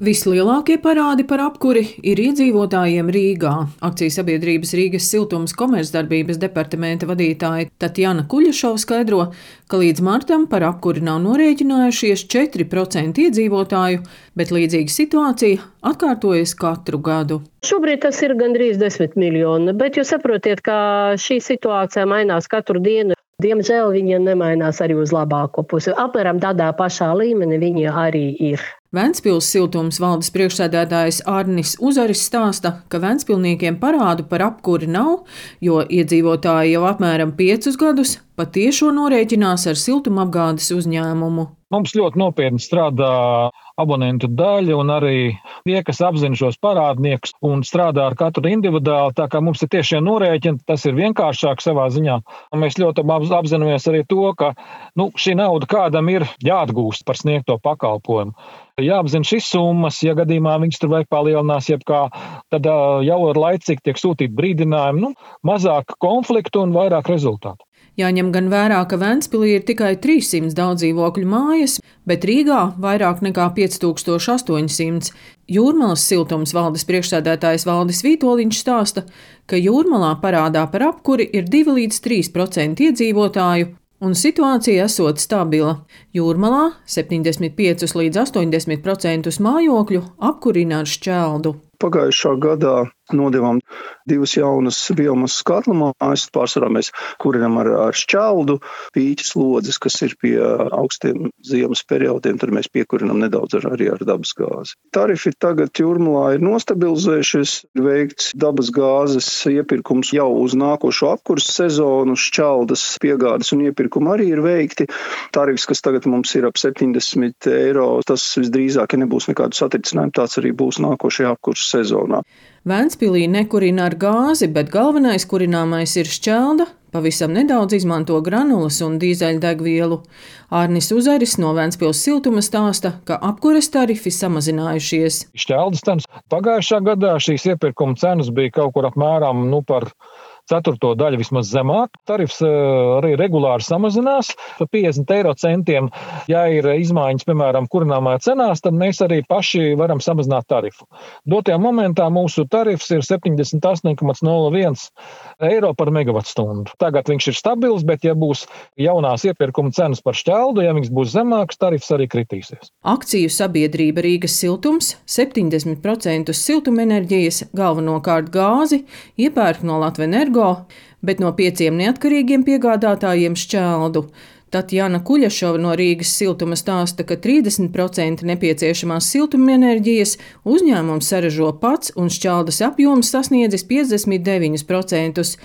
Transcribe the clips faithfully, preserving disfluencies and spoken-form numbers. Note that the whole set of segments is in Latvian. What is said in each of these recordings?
Vislielākie parādi par apkuri ir iedzīvotājiem Rīgā. Akciju sabiedrības Rīgas siltums komercdarbības departamenta vadītāja Tatjana Kuļašova skaidro, ka līdz martam par apkuri nav norēķinājušies četri procenti iedzīvotāju, bet līdzīga situācija atkārtojas katru gadu. Šobrīd tas ir gandrīz desmit miljoni, bet jūs saprotiet, ka šī situācija mainās katru dienu. Diemžēl viņa nemainās arī uz labāko pusi. Apmēram tādā pašā līmenī viņa arī ir. Ventspils siltums valdes priekšsēdētājs Arnis Uzaris stāsta, ka ventspilniekiem parādu par apkuri nav, jo iedzīvotāji jau apmēram piecus gadus patiešo norēķinās ar siltumapgādes uzņēmumu. Mums ļoti nopietni strādā abonentu daļa un arī tie, kas apzina šos parādniekus un strādā ar katru individuāli, tā kā mums ir tiešie norēķini, tas ir vienkāršāk savā ziņā. Mēs ļoti apzināmies arī to, ka nu, šī nauda kādam ir jāatgūst par sniegto pakalpojumu. Jāapzina šīs summas, ja gadījumā viņas tur vajag palielinās, jebkā, tad jau ar laicīgi tiek sūtīt brīdinājumi, nu, mazāk konfliktu un vairāk rezultātu. Jāņem gan vērā, ka Ventspilī ir tikai trīssimts daudzdzīvokļu mājas, bet Rīgā vairāk nekā pieci tūkstoši astoņsimt. Jūrmalas siltums valdes priekšsēdētājs Valdis Vītoliņš stāsta, ka Jūrmalā parādā par apkuri ir divi līdz trīs procenti iedzīvotāju, un situācija esot stabila. Jūrmalā septiņdesmit pieci līdz astoņdesmit procenti mājokļu apkurina ar šķeldu. Pagājušā gadā nodevām divas jaunas biomasas katlamājas. Pārsvarā mēs kurinam ar, ar šķeldu, pīķis lodzes, kas ir pie augstiem ziemas periodiem, tad mēs piekurinam nedaudz ar, arī ar dabas gāzi. Tarifi tagad Jūrmalā ir nostabilizējušies, ir veikts dabas gāzes iepirkums jau uz nākošo apkuras sezonu, šķeldas piegādes un iepirkumi arī ir veikti. Tarifs, kas tagad mums ir ap septiņdesmit eiro, tas visdrīzāk, ja nebūs nekādu satricinājumu, tāds arī būs nākošajā apkuras sezonā. Ventspilī nekurina ar gāzi, bet galvenais kurināmais ir šķelda, pavisam nedaudz izmanto granulas un dīzeļdegvielu. Arnis Uzaris no Ventspils siltuma stāsta, ka apkures tarifi samazinājušies. Šķeldas cenas pagājušā gadā šīs iepirkuma cenas bija kaut kur apmēram nu, par ceturto daļu vismaz zemāk. Tarifs arī regulāri samazinās par piecdesmit eiro centiem. Ja ir izmaiņas, piemēram, kurināmā cenās, tad mēs arī paši varam samazināt tarifu. Dotajā momentā mūsu tarifs ir septiņdesmit astoņi komats nulle viens eiro par megavatstundu. Tagad viņš ir stabils, bet ja būs jaunās iepirkuma cenas par šķeldu, ja viņas būs zemākas, tarifs arī kritīsies. Akciju sabiedrība Rīgas siltums septiņdesmit procenti siltumenerģijas, galvenokārt gāzi, iepērk no Latvenergo, bet no pieciem neatkarīgiem piegādātājiem šķeldu. Tatjana Kuļašova no Rīgas siltuma stāsta, ka trīsdesmit procenti nepieciešamās siltumenerģijas uzņēmums saražo pats un šķeldas apjoms sasniedzis piecdesmit deviņus procentus.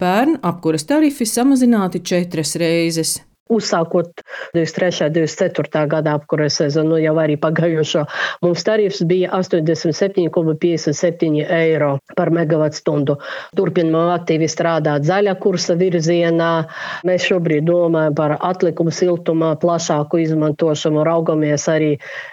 Pērn apkuras tarifi samazināti četras reizes. Uzsākot divdesmit trešā divdesmit ceturtā gadā apkures sezonu, jau arī pagājušo, mums tarifs bija astoņdesmit septiņi komats piecdesmit septiņi eiro par megavatstundu. Turpinām aktīvi strādāt zaļā kursa virzienā. Mēs šobrīd domājam par atlikumu siltumā plašāku izmantošanu, raugamies arī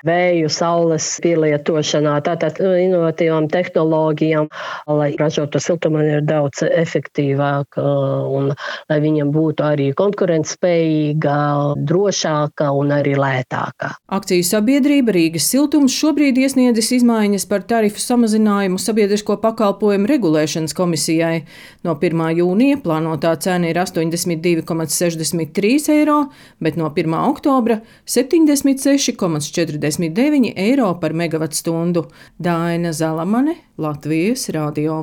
vēju, saules pielietošanā, tātad inovatīvām tehnoloģijām, lai ražoto siltumu ir daudz efektīvāk un lai viņam būtu arī konkurentspējīgi, drošāka un arī lētāka. Akciju sabiedrība Rīgas siltums šobrīd iesniedzis izmaiņas par tarifu samazinājumu sabiedrisko pakalpojumu regulēšanas komisijai. No pirmā jūnija plānotā cena ir astoņdesmit divi komats sešdesmit trīs eiro, bet no pirmā oktobra septiņdesmit seši komats četrdesmit deviņi eiro par megavatstundu. Daina Zalamane, Latvijas radio.